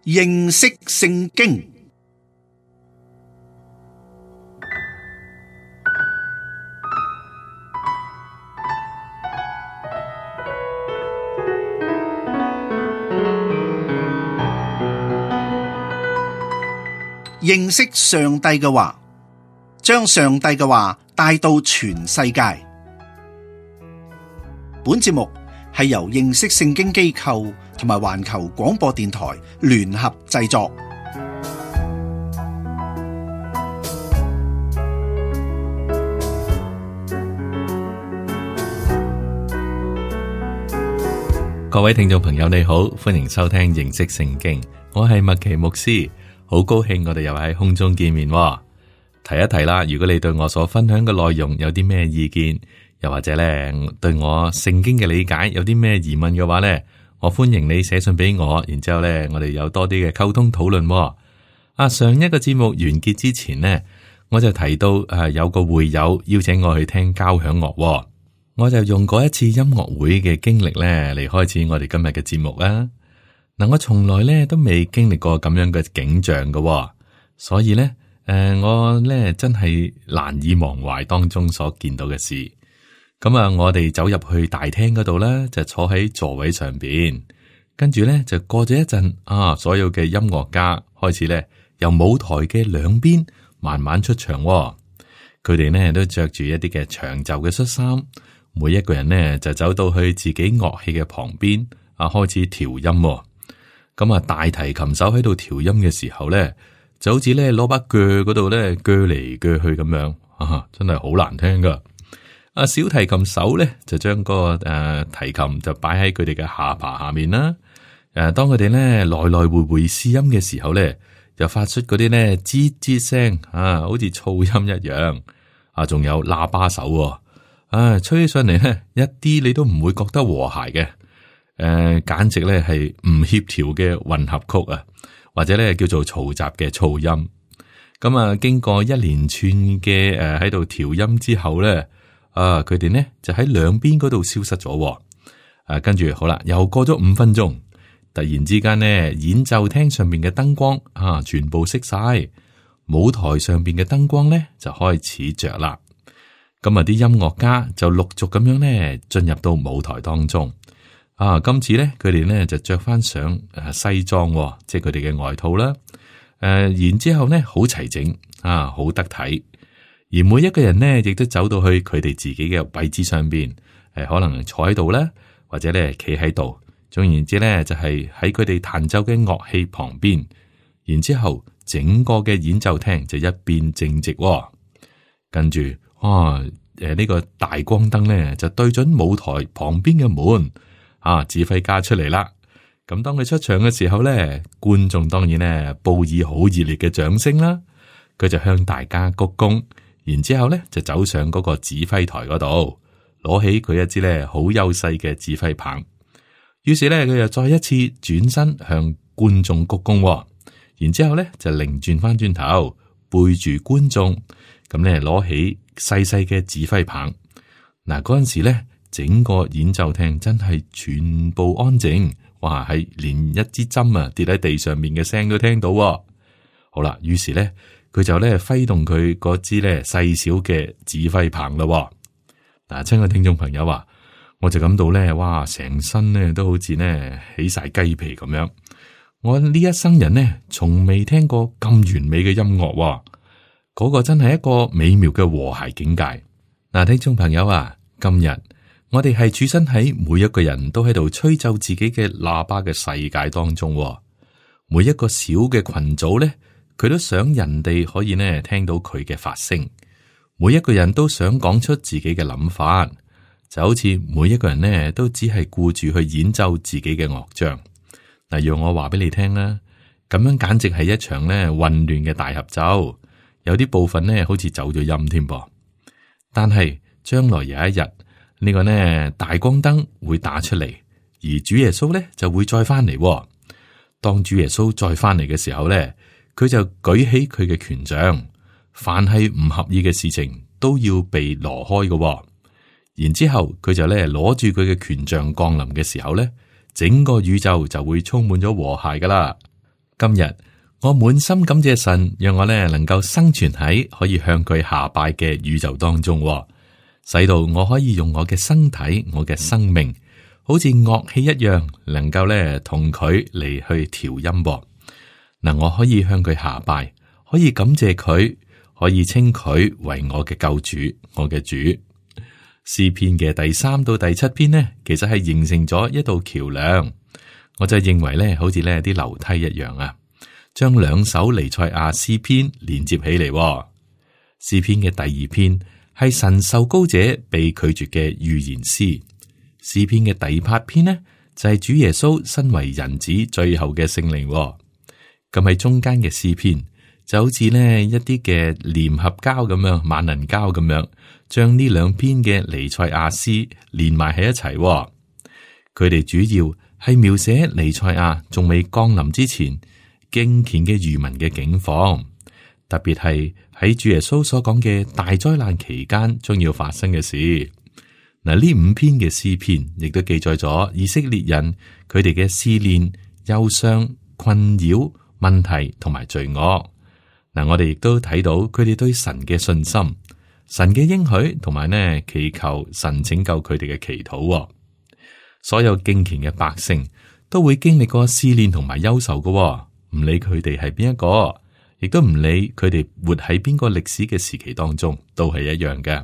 認識聖經。認識上帝嘅話，將上帝嘅話帶到全世界。本節目係由認識聖經機構同埋環球廣播電台聯合製作。各位聽眾朋友你好，歡迎收聽認識聖經，我係麥奇牧師，好高興我哋又喺空中見面。提一提啦，如果你對我所分享嘅內容有啲咩意見，又或者咧對我聖經嘅理解有啲咩疑問嘅話咧，我歡迎你寫信俾我，然之後咧我哋有多啲嘅溝通討論。上一個節目完結之前呢，我就提到有個會友邀請我去聽交響樂，我就用嗰一次音樂會嘅經歷咧嚟開始我哋今日嘅節目啦。嗱，我從來咧都未經歷過咁樣嘅景象嘅，所以咧我咧真係難以忘懷當中所見到嘅事。咁我哋走入去大廳嗰度咧，就坐喺座位上邊，跟住咧就過咗一陣，所有嘅音樂家開始咧由舞台嘅兩邊慢慢出場。佢哋呢都着住一啲嘅長袖嘅恤衫，每一個人呢就走到去自己樂器嘅旁邊，開始調音。咁大提琴手喺度調音嘅時候咧，就好似咧攞把鋸嗰度咧鋸嚟鋸去咁樣，真係好難聽噶。小提琴手咧就將個提琴就擺喺佢哋嘅下巴下面啦。當佢哋咧來來回回試音嘅時候咧，就發出嗰啲咧吱吱聲，好似噪音一樣。仲有喇叭手，吹起上嚟咧一啲你都唔會覺得和諧嘅。簡直咧係唔協調嘅混合曲啊，或者咧叫做嘈雜嘅噪音。咁經過一連串嘅喺度調音之後咧，佢哋呢就喺兩邊嗰度消失咗。跟住好啦，又過咗5分鐘，突然之間呢，演奏廳上面嘅燈光全部熄晒，舞台上邊嘅燈光咧就開始着啦。咁啲音樂家就陸續咁樣咧進入到舞台當中。今次咧，佢哋咧就着翻上西裝，即係佢哋嘅外套啦。然之後咧好齊整，好得體。而每一個人呢，亦都走到去佢哋自己嘅位置上邊，可能坐喺度啦，或者咧企喺度。總言之咧，就係喺佢哋彈奏嘅樂器旁邊。然之後，整個嘅演奏廳就一變正直。跟住，呢個大光燈咧就對準舞台旁邊嘅門。指揮家出嚟啦。咁當佢出場嘅時候咧，觀眾當然咧報以好熱烈嘅掌聲啦。佢就向大家鞠躬，然之後咧就走上嗰個指揮台嗰度，攞起佢一支咧好優勢嘅指揮棒。於是咧佢又再一次轉身向觀眾鞠躬，然之後咧就擰轉翻轉頭背住觀眾，咁咧攞起細細嘅指揮棒。嗱，嗰陣時咧。整個演奏廳真係全部安靜，哇！係連一支針跌喺地上面嘅聲都聽到。好啦，於是咧佢就咧揮動佢嗰支咧細小嘅指揮棒啦。嗱，親愛聽眾朋友我就感到咧，哇！成身咧都好似咧起晒雞皮咁樣。我呢一生人呢，從未聽過咁完美嘅音樂，嗰個真係一個美妙嘅和諧境界。嗱，聽眾朋友今日。我哋係處身喺每一個人都喺度吹奏自己嘅喇叭嘅世界當中，每一個小嘅群組咧，佢都想人哋可以呢聽到佢嘅發聲，每一個人都想講出自己嘅諗法，就好似每一個人呢都只係顧住去演奏自己嘅樂章。嗱，讓我話俾你聽啦，咁樣簡直係一場呢混亂嘅大合奏，有啲部分呢好似走咗音添噃。但係將來有一日。呢個呢大光燈會打出嚟，而主耶穌咧就會再翻嚟。當主耶穌再翻嚟嘅時候咧，佢就舉起佢嘅權杖，凡係唔合意嘅事情都要被挪開嘅。然之後佢就咧攞住佢嘅權杖降臨嘅時候咧，整個宇宙就會充滿咗和諧噶啦。今日我滿心感謝神，讓我呢能夠生存喺可以向佢下拜嘅宇宙當中，使到我可以用我嘅身體、我嘅生命，好似樂器一樣，能夠呢同佢嚟去調音。嗱，我可以向佢下拜，可以感謝佢，可以稱佢為我嘅救主，我嘅主。詩篇嘅第3到第7篇呢，其實係形成咗一道橋樑。我就認為呢，好似呢啲樓梯一樣啊，將2首彌賽亞詩篇連接起嚟。詩篇嘅第2篇係神受膏者被拒絕嘅預言詩。詩篇嘅第8篇呢，就係主耶穌身為人子最後嘅聖靈。咁喺中間嘅詩篇就好似呢一啲嘅粘合膠咁樣，萬能膠咁樣，將呢2篇嘅彌賽亞詩連埋喺一齊。佢哋主要係描寫彌賽亞仲未降臨之前敬虔嘅餘民嘅境況，特別係喺主耶穌所講嘅大災難期間將要發生嘅事。嗱，呢5篇嘅詩篇亦都記載咗以色列人佢哋嘅試煉、憂傷、困擾、問題同埋罪惡。嗱，我哋亦都睇到佢哋對神嘅信心、神嘅應許同埋呢祈求神拯救佢哋嘅祈禱。所有敬虔嘅百姓都會經歷過試煉同埋憂愁嘅，唔理佢哋係邊一個，亦都唔理佢哋活喺邊個歷史嘅時期當中，都係一樣嘅。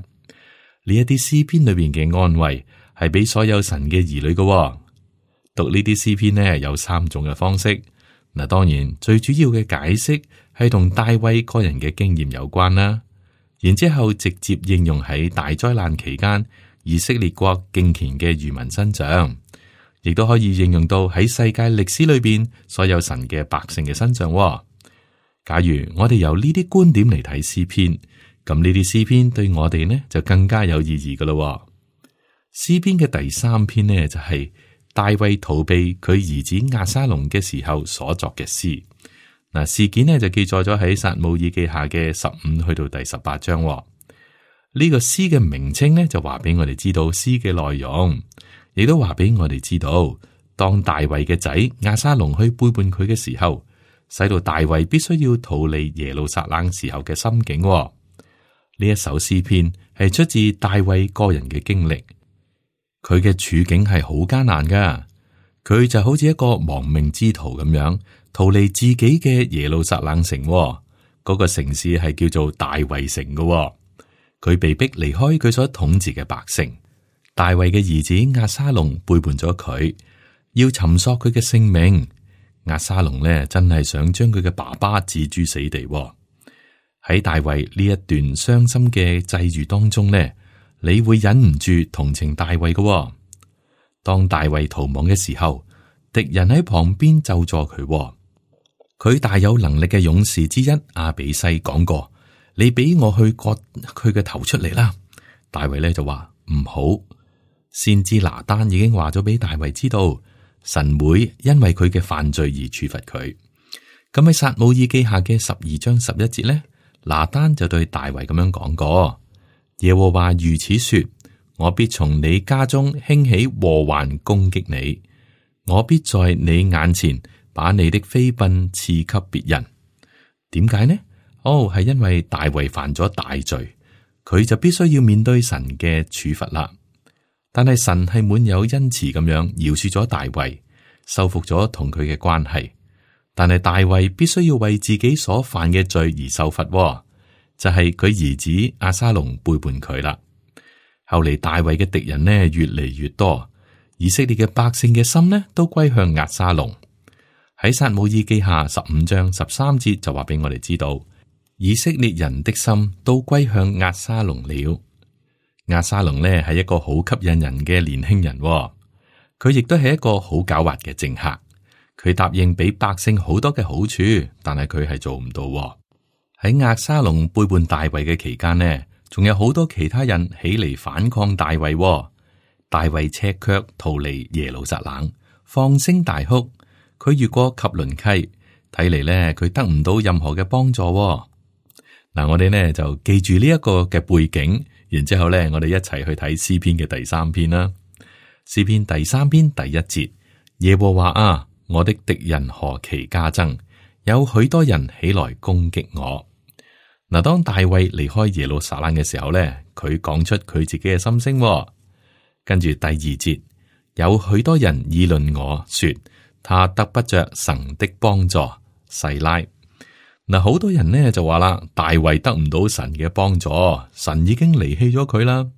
呢一啲詩篇裏邊嘅安慰係俾所有神嘅兒女嘅。讀呢啲詩篇呢，有3種嘅方式。嗱，當然最主要嘅解釋係同大衛個人嘅經驗有關啦，然之後直接應用喺大災難期間以色列國敬虔嘅餘民身上，亦都可以應用到喺世界歷史裏邊所有神嘅百姓嘅身上。假如我哋由呢啲觀點嚟睇詩篇，咁呢啲詩篇對我哋呢就更加有意義噶咯。詩篇嘅第3篇呢就係大衛逃避佢兒子押沙龍嘅時候所作嘅詩。嗱，事件呢就記載咗喺撒母耳記下嘅15去到第18章。呢個詩嘅名稱呢，就話俾我哋知道詩嘅內容，亦都話俾我哋知道，當大衛嘅仔押沙龍去背叛佢嘅時候，使到大衛必須要逃離耶路撒冷時候嘅心境。呢一首詩篇係出自大衛個人嘅經歷，佢嘅處境係好艱難噶，佢就好似一個亡命之徒咁樣，逃離自己嘅耶路撒冷城。嗰個城市係叫做大衛城噶。佢被逼離開佢所統治嘅百姓，大衛嘅兒子押沙龍背叛咗佢，要尋索佢嘅性命。押沙龍呢真係想將佢嘅爸爸置諸死地。喺大衛呢一段傷心嘅際遇當中呢，你會忍唔住同情大衛嘅。當大衛逃亡嘅時候，敵人喺旁邊咒詛佢。佢大有能力嘅勇士之一亞比篩講過：你俾我去割佢嘅頭出嚟啦！大衛咧就話唔好。先知拿單已經話咗俾大衛知道，神會因為佢嘅犯罪而處罰佢。咁喺撒母耳記下嘅12章11節咧，拿單就對大衛咁樣講過：耶和華如此說，我必從你家中興起禍患攻擊你，我必在你眼前把你的妃嬪賜給別人。點解呢？係因為大衛犯咗大罪，佢就必須要面對神嘅處罰啦。但係神係滿有恩慈咁樣饒恕咗大衛，修復咗同佢嘅關係。但係大衛必須要為自己所犯嘅罪而受罰，就係佢兒子押沙龍背叛佢啦。後嚟大衛嘅敵人呢越嚟越多，以色列嘅百姓嘅心呢都歸向押沙龍。喺撒母耳記下15章13節就話俾我哋知道，以色列人的心都歸向押沙龍了。押沙龍呢係一個好吸引人嘅年輕人，佢亦都係一個好狡猾嘅政客。佢答應俾百姓好多嘅好處，但係佢係做唔到。喺押沙龍背叛大衛嘅期間呢，仲有好多其他人起嚟反抗大衛。大衛赤腳逃離耶路撒冷，放聲大哭。佢越過汲淪溪，睇嚟呢，佢得唔到任何嘅幫助。嗱，我哋呢就記住呢一個嘅背景，然之後呢，我哋一齊去睇詩篇嘅第3篇啦。詩篇第3篇第1節：耶和華啊，我的敵人何其加增，有許多人起來攻擊我。嗱，當大衛離開耶路撒冷嘅時候咧，佢講出佢自己嘅心聲。跟住第二節，有許多人議論我說，他得不着神的幫助。細拉。嗱，好多人呢就話啦，大衛得唔到神嘅幫助，神已經離棄咗佢啦。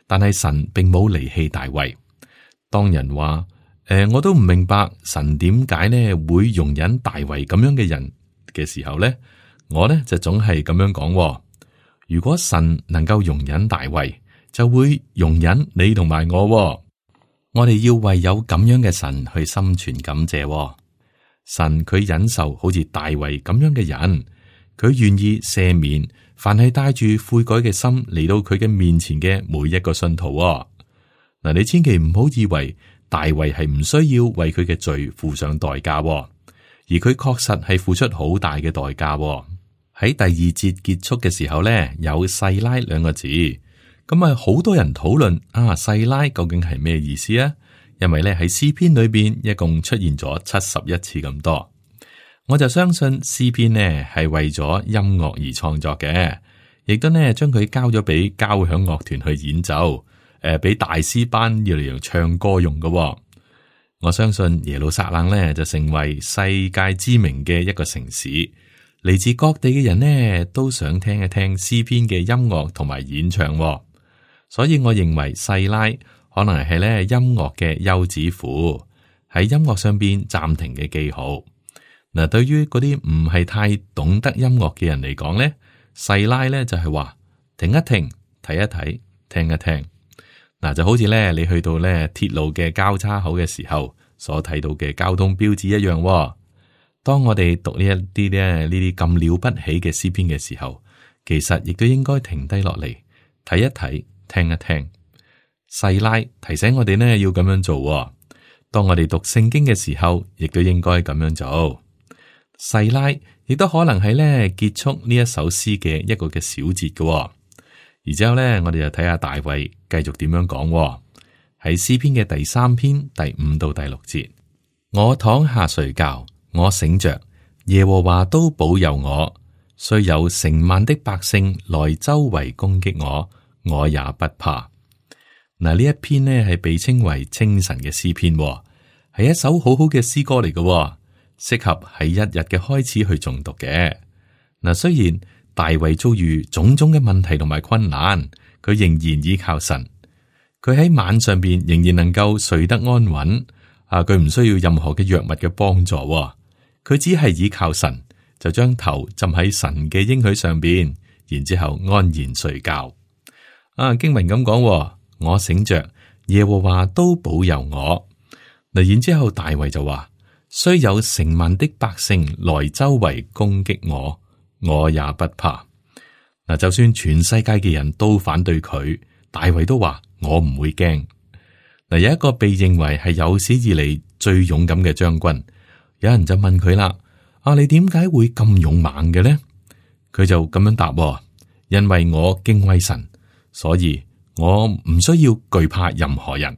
但係神並冇離棄大衛。當人話我都唔明白神點解呢會容忍大衛咁樣嘅人嘅時候呢，我呢就總係咁樣講。如果神能夠容忍大衛，就會容忍你同埋我。我哋要為有咁樣嘅神去心存感謝。神佢忍受好似大衛咁樣嘅人，佢願意赦免凡係帶住悔改嘅心嚟到佢嘅面前嘅每一個信徒。嗱，你千祈唔好以為大衛係唔需要為佢嘅罪付上代價，而佢確實係付出好大嘅代價。喺第二節結束嘅時候咧，有細拉兩個字，咁啊好多人討論細拉究竟係咩意思啊？因為咧喺詩篇裏邊一共出現咗71次咁多，我就相信詩篇呢係為咗音樂而創作嘅，亦都呢將佢交咗俾交響樂團去演奏，俾大師班要嚟唱歌用嘅。我相信耶路撒冷呢就成為世界知名嘅一個城市，嚟自各地嘅人呢都想聽一聽詩篇嘅音樂同埋演唱，所以我認為細拉可能係咧音樂嘅休止符，喺音樂上邊暫停嘅記號。嗱，對於嗰啲唔係太懂得音樂嘅人嚟講咧，細拉咧就係話停一停，睇一睇，聽一聽。嗱，就好似咧你去到咧鐵路嘅交叉口嘅時候所睇到嘅交通標誌一樣。當我哋讀呢一啲咧呢啲咁了不起嘅詩篇嘅時候，其實亦都應該停低落嚟睇一睇，聽一聽。細拉提醒我哋呢要咁樣做。當我哋讀聖經嘅時候，亦都應該咁樣做。細拉亦都可能係咧結束呢一首詩嘅一個嘅小節嘅。而之後咧，我哋就睇下大衛繼續點樣講。喺詩篇嘅第3篇第5到第6節，我躺下睡覺，我醒着，耶和華都保佑我。雖有成萬的百姓來周圍攻擊我，我也不怕。嗱，呢一篇呢係被稱為清晨嘅詩篇，係一首好好嘅詩歌嚟嘅，適合喺一日嘅開始去誦讀嘅。嗱，雖然大衛遭遇種種嘅問題同埋困難，佢仍然依靠神。佢喺晚上邊仍然能夠睡得安穩。佢唔需要任何嘅藥物嘅幫助，佢只係依靠神，就將頭浸喺神嘅應許上邊，然之後安然睡覺。經文咁講。我醒着，耶和華都保佑我。嗱，然之後大衛就話：雖有成萬的百姓來周圍攻擊我，我也不怕。嗱，就算全世界嘅人都反對佢，大衛都話我唔會驚。嗱，有一個被認為係有史以嚟最勇敢嘅將軍，有人就問佢啦：你點解會咁勇猛嘅呢？佢就咁樣答：因為我敬畏神，所以我唔需要懼怕任何人。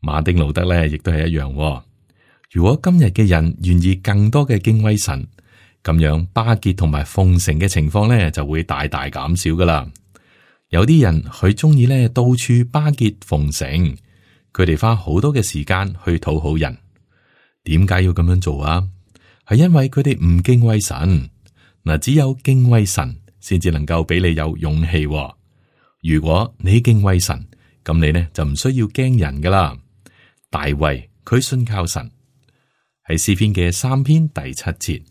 馬丁路德咧，亦都係一樣。如果今日嘅人願意更多嘅敬畏神，咁樣巴結同埋奉承嘅情況咧，就會大大減少噶啦。有啲人佢中意咧到處巴結奉承，佢哋花好多嘅時間去討好人。點解要咁樣做啊？係因為佢哋唔敬畏神。嗱，只有敬畏神，先至能夠俾你有勇氣。如果你敬畏神，咁你呢就唔需要驚人噶啦。大衛佢信靠神，喺詩篇嘅3篇第7節，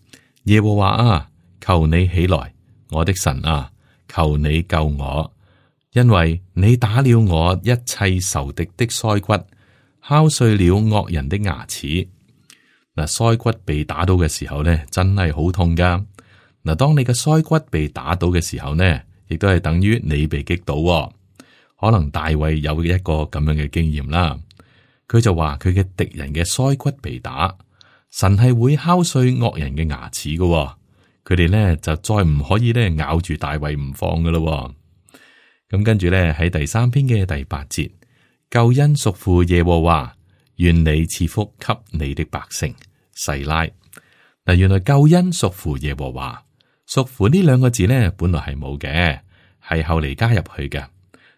耶和華啊，求你起來，我的神啊，求你救我，因為你打了我一切仇敵的腮骨，敲碎了惡人的牙齒。嗱，腮骨被打到嘅時候呢，真係好痛噶。嗱，當你嘅腮骨被打到嘅時候呢，亦都係等於你被擊倒。可能大衛有一個咁樣嘅經驗啦，佢就話佢嘅敵人嘅腮骨被打，神係會敲碎惡人嘅牙齒嘅，佢哋咧就再唔可以咧咬住大衛唔放噶咯。咁跟住咧喺第3篇嘅第8節，救恩屬乎耶和華，願你賜福給你的百姓。細拉。嗱，原來救恩屬乎耶和華，屬乎呢兩個字呢，本來係冇嘅，係後嚟加入去嘅。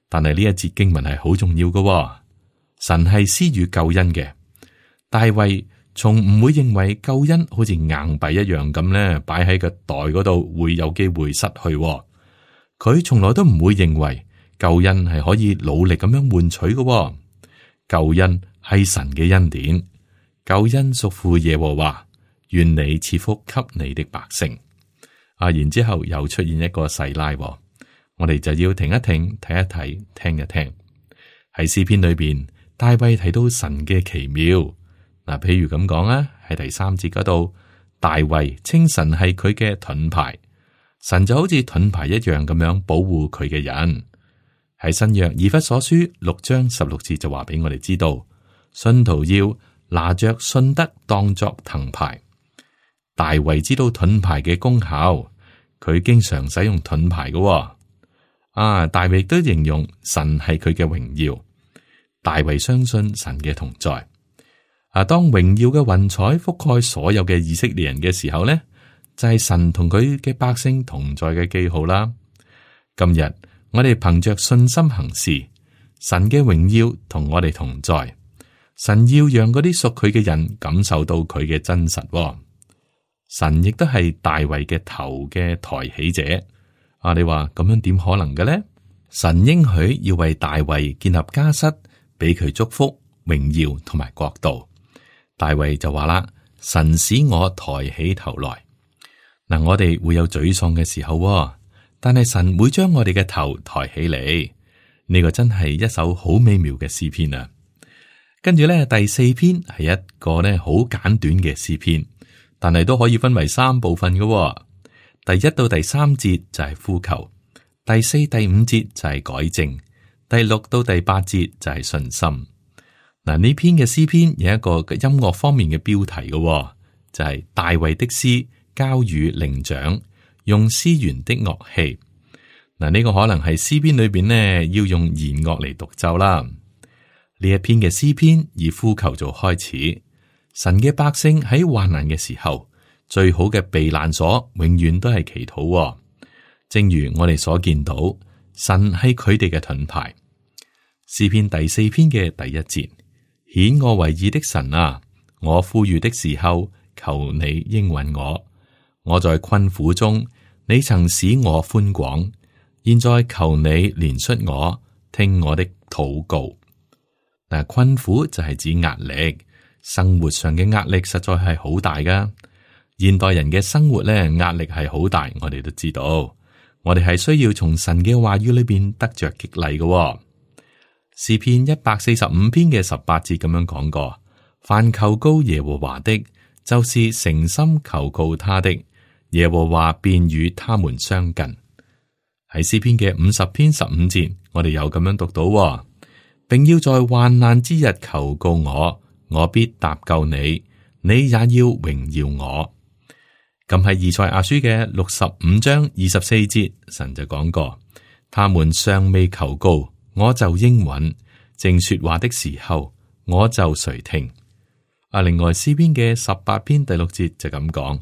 但係呢一節經文係好重要嘅，神係施予救恩嘅。大衛從唔會認為救恩好似硬幣一樣咁咧，擺喺個袋嗰度會有機會失去。佢從來都唔會認為救恩係可以努力咁樣換取嘅。救恩係神嘅恩典，救恩屬乎耶和華，願你賜福給你的百姓。然之後又出現一個細拉，我哋就要停一停，睇一睇，聽一聽。喺詩篇裏邊，大衛提到神嘅奇妙。譬如咁講啊，喺第3節嗰度，大衛稱神係佢嘅盾牌，神就好似盾牌一樣咁樣保護佢嘅人。喺新約以弗所書6章16節就話俾我哋知道，信徒要拿着信德當作藤牌。大衛知道盾牌嘅功效，佢經常使用盾牌嘅。大衛都形容神係佢嘅榮耀。大衛相信神嘅同在。當榮耀嘅雲彩覆蓋所有嘅以色列人嘅時候呢，就係神同佢嘅百姓同在嘅記號啦。今日我哋憑着信心行事，神嘅榮耀同我哋同在。神要讓嗰啲屬佢嘅人感受到佢嘅真實。神亦都係大衛嘅頭嘅抬起者。你話咁樣點可能嘅呢？神應許要為大衛建立家室，俾佢祝福、榮耀同埋國度。大衛就話啦：神使我抬起頭來。我哋會有沮喪嘅時候，但係神會將我哋嘅頭抬起嚟。呢個真係一首好美妙嘅詩篇啊！跟住咧，第4篇係一個咧好簡短嘅詩篇，但係都可以分為3部分嘅。第1到第3節就係呼求，第4、第5節就係改正，第6到第8節就係信心。呢篇嘅詩篇有一個音樂方面嘅標題嘅，就係大衛的詩交與伶長，用絲弦的樂器。呢個可能係詩篇裏邊呢要用弦樂嚟獨奏啦。呢一篇嘅詩篇以呼求做開始，神嘅百姓喺患難嘅時候，最好嘅避難所永遠都係祈禱。正如我哋所見到，神係佢哋嘅盾牌。詩篇第4篇嘅第1節。顯我為義的神啊，我呼籲的時候，求你應允我。我在困苦中，你曾使我寬廣，現在求你憐恤我，聽我的禱告。困苦就係指壓力，生活上嘅壓力實在係好大噶。現代人嘅生活咧，壓力係好大，我哋都知道。我哋係需要從神嘅話語裏邊得着激勵嘅。詩篇145篇嘅18節咁樣講過：凡求告耶和華的，就是誠心求告他的，耶和華便與他們相近。喺詩篇嘅50篇15節，我哋又咁樣讀到，並要在患難之日求告我，我必搭救你，你也要榮耀我。咁喺以賽亞書嘅65章24節，神就講過：他們尚未求告，我就應允，正說話的時候，我就垂聽。另外詩篇嘅18篇第6節就咁講：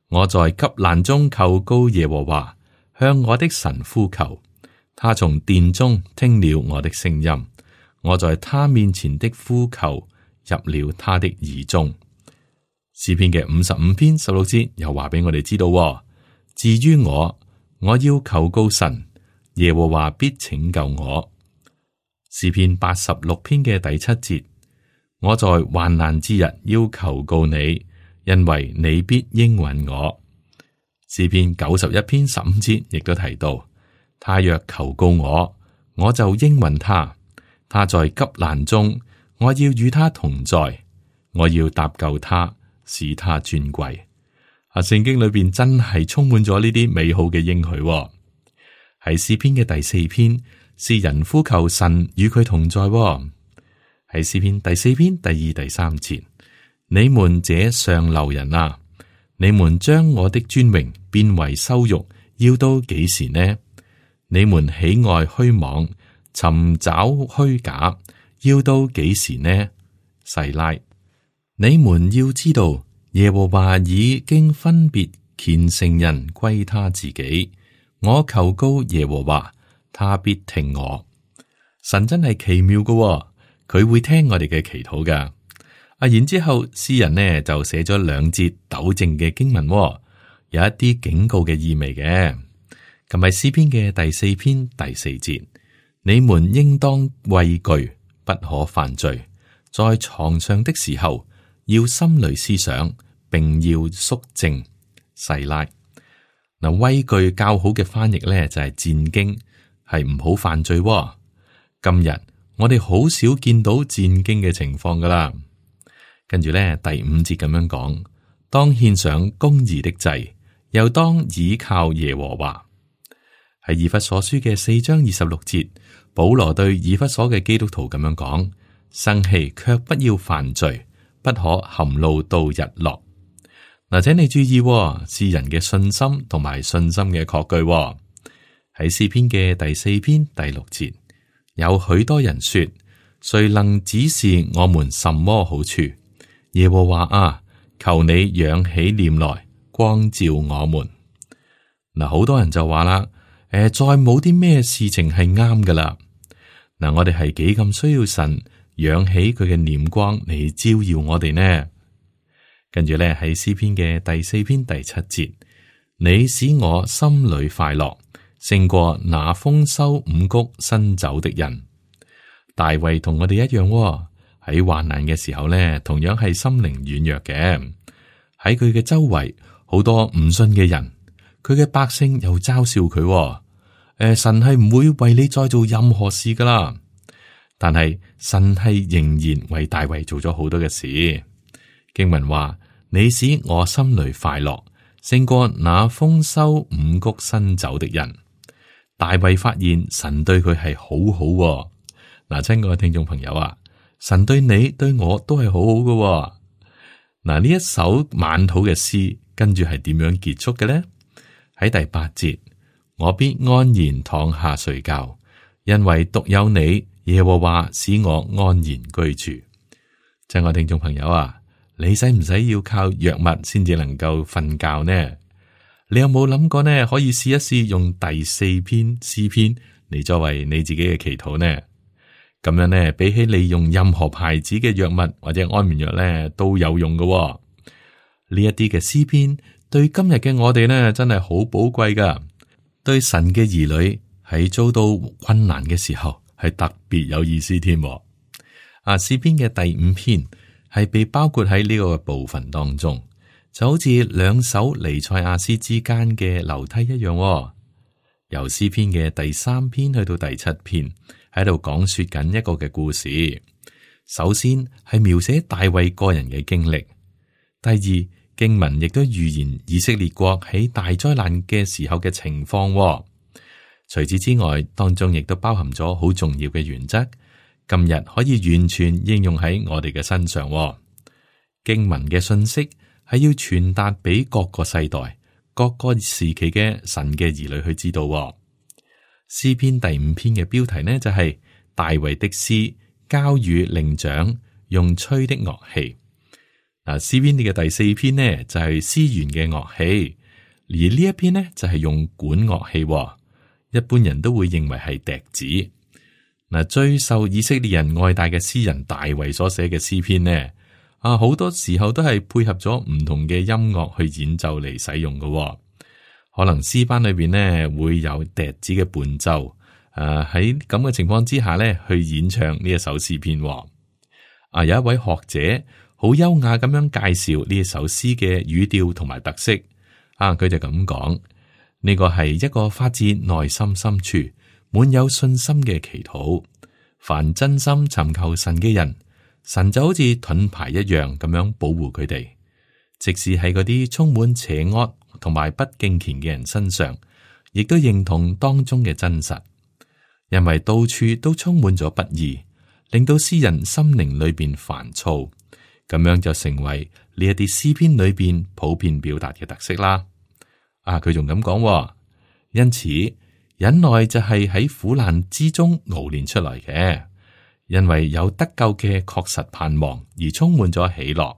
我在急難中求告耶和華，向我的神呼求，他從殿中聽了我的聲音，我在他面前的呼求入了他的耳中。詩篇嘅55篇16節又話俾我哋知道：至於我，我要求告神，耶和華必拯救我。詩篇86篇嘅第7節，我在患難之日要求告你，因為你必應允我。詩篇91篇15節亦都提到，他若求告我，我就應允他。他在急難中，我要與他同在，我要搭救他，使他尊貴。聖經裏邊真係充滿咗呢啲美好嘅應許。喺詩篇嘅第4篇，詩人呼求神與佢同在。喺詩篇第4篇第2、第3節，你們這上流人啊，你們將我的尊榮變為羞辱，要到幾時呢？你們喜愛虛妄，尋找虛假，要到幾時呢？細拉，你們要知道，耶和華已經分別虔誠人歸他自己。我求告耶和華，他必聽我。神真係奇妙嘅，佢會聽我哋嘅祈禱噶。然之後詩人呢就寫咗2節糾正嘅經文，有一啲警告嘅意味嘅。咁係詩篇嘅第4篇第4節，你們應當畏懼，不可犯罪。在床上的時候，要心裏思想，並要肅靜。細拉嗱，畏懼較好嘅翻譯咧就係戰驚，係唔好犯罪。今日我哋好少見到戰驚嘅情況噶啦。跟住咧第5節咁樣講，當獻上公義的祭，又當倚靠耶和華。喺以弗所書嘅4章26節，保羅對以弗所嘅基督徒咁樣講。生氣卻不要犯罪，不可含怒到日落。嗱，請你注意，詩人嘅信心同埋信心嘅確據。喺詩篇嘅第4篇第6節，有許多人說：誰能指示我們什麼好處？耶和華啊，求你仰起臉來，光照我們。嗱，好多人就話啦，再冇啲咩事情係啱噶啦。嗱，我哋係幾咁需要神仰起佢嘅臉光嚟照耀我哋呢？跟住咧喺詩篇嘅第4篇第7節，你使我心裏快樂，勝過那豐收五穀新酒的人。大衛同我哋一樣，喺患難嘅時候咧，同樣係心靈軟弱嘅。喺佢嘅周圍好多唔信嘅人，佢嘅百姓又嘲笑佢。神係唔會為你再做任何事噶啦。但係神係仍然為大衛做咗好多嘅事。經文話：你使我心裏快樂，勝過那豐收五穀新酒的人。大衛發現神對佢係好好。嗱，親愛嘅聽眾朋友啊，神對你對我都係好好嘅。嗱，呢一首晚禱嘅詩，跟住係點樣結束嘅呢？喺第8節，我必安然躺下睡覺，因為獨有你。耶和華使我安然居住。親愛聽眾朋友啊，你使唔使要靠藥物先至能夠瞓覺呢？你有冇諗過呢？可以試一試用第4篇詩篇嚟作為你自己嘅祈禱呢？咁樣呢，比起你用任何牌子嘅藥物或者安眠藥呢，都有用嘅。呢一啲嘅詩篇對今日嘅我哋呢，真係好寶貴噶。對神嘅兒女喺遭到困難嘅時候，係特別有意思添。詩篇嘅第5篇係被包括喺呢個部分當中，就好似2首彌賽亞詩之間嘅樓梯一樣。由詩篇嘅第3篇去到第7篇，喺度講說緊一個嘅故事。首先係描寫大衛個人嘅經歷，第二經文亦都預言以色列國喺大災難嘅時候嘅情況。除此之外，當中亦都包含咗好重要嘅原則，今日可以完全應用喺我哋嘅身上。經文嘅信息係要傳達俾各個世代、各個時期嘅神嘅兒女去知道。詩篇第5篇嘅標題呢，就係大衛的詩，交與伶長，用吹的樂器。詩篇嘅第4篇呢，就係絲弦嘅樂器，而呢一篇呢，就係用管樂器。一般人都會認為係笛子。最受以色列人愛戴嘅詩人大衛所寫嘅詩篇呢，好多時候都係配合咗唔同嘅音樂去演奏嚟使用嘅。可能詩班裏邊呢會有笛子嘅伴奏。喺咁嘅情況之下呢，去演唱呢一首詩篇。有一位學者好優雅咁樣介紹呢一首詩嘅語調同埋特色。佢就咁講。呢個係一個發自內心深處滿有信心嘅祈禱。凡真心尋求神嘅人，神就好似盾牌一樣咁樣保護佢哋。即使喺嗰啲充滿邪惡同埋不敬虔嘅人身上，亦都認同當中嘅真實。因為到處都充滿咗不義，令到詩人心靈裏邊煩躁，咁樣就成為呢一啲詩篇裏邊普遍表達嘅特色啦。佢仲咁講，因此忍耐就係喺苦難之中熬練出來嘅，因為有得救嘅確實盼望而充滿咗喜樂。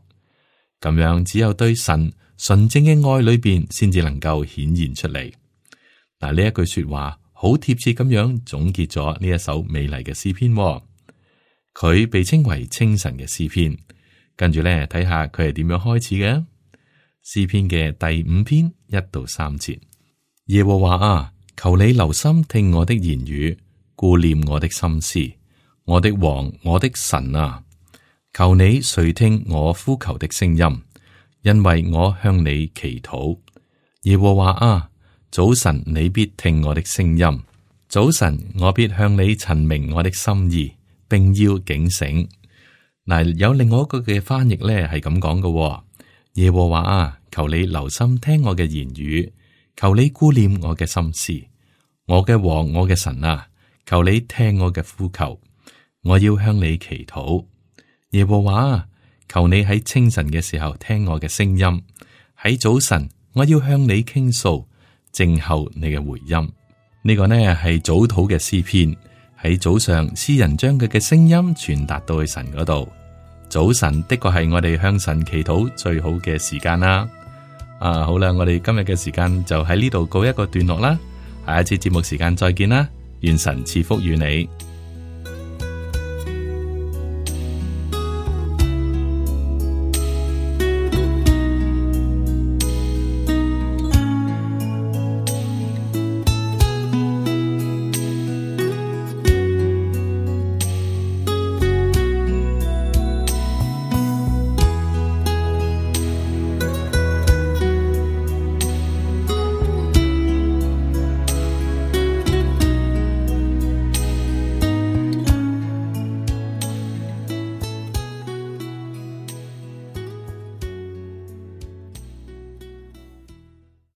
咁樣只有對神純正嘅愛裏邊，先至能夠顯現出嚟。嗱，呢一句說話好貼切咁樣總結咗呢一首美麗嘅詩篇。佢被稱為清晨嘅詩篇。跟住咧，睇下佢係點樣開始嘅。詩篇嘅第5篇1到3節，耶和華啊，求你留心聽我的言語，顧念我的心思，我的王，我的神啊，求你垂聽我呼求的聲音，因為我向你祈禱。耶和華啊，早晨你必聽我的聲音，早晨我必向你陳明我的心意，並要警醒。嗱，有另外一個嘅翻譯咧，係咁講嘅。耶和華啊，求你留心聽我嘅言語，求你顧念我嘅心思，我嘅王，我嘅神啊，求你聽我嘅呼求，我要向你祈禱。耶和華啊，求你喺清晨嘅時候聽我嘅聲音，喺早晨我要向你傾訴，靜候你嘅回音。呢個呢係早禱嘅詩篇。喺早上，詩人將佢嘅聲音傳達到去神嗰度。早晨的確係我哋向神祈禱最好嘅時間啦。好啦，我哋今日嘅時間就喺呢度告一個段落啦。下一次節目時間再見啦，願神賜福與你。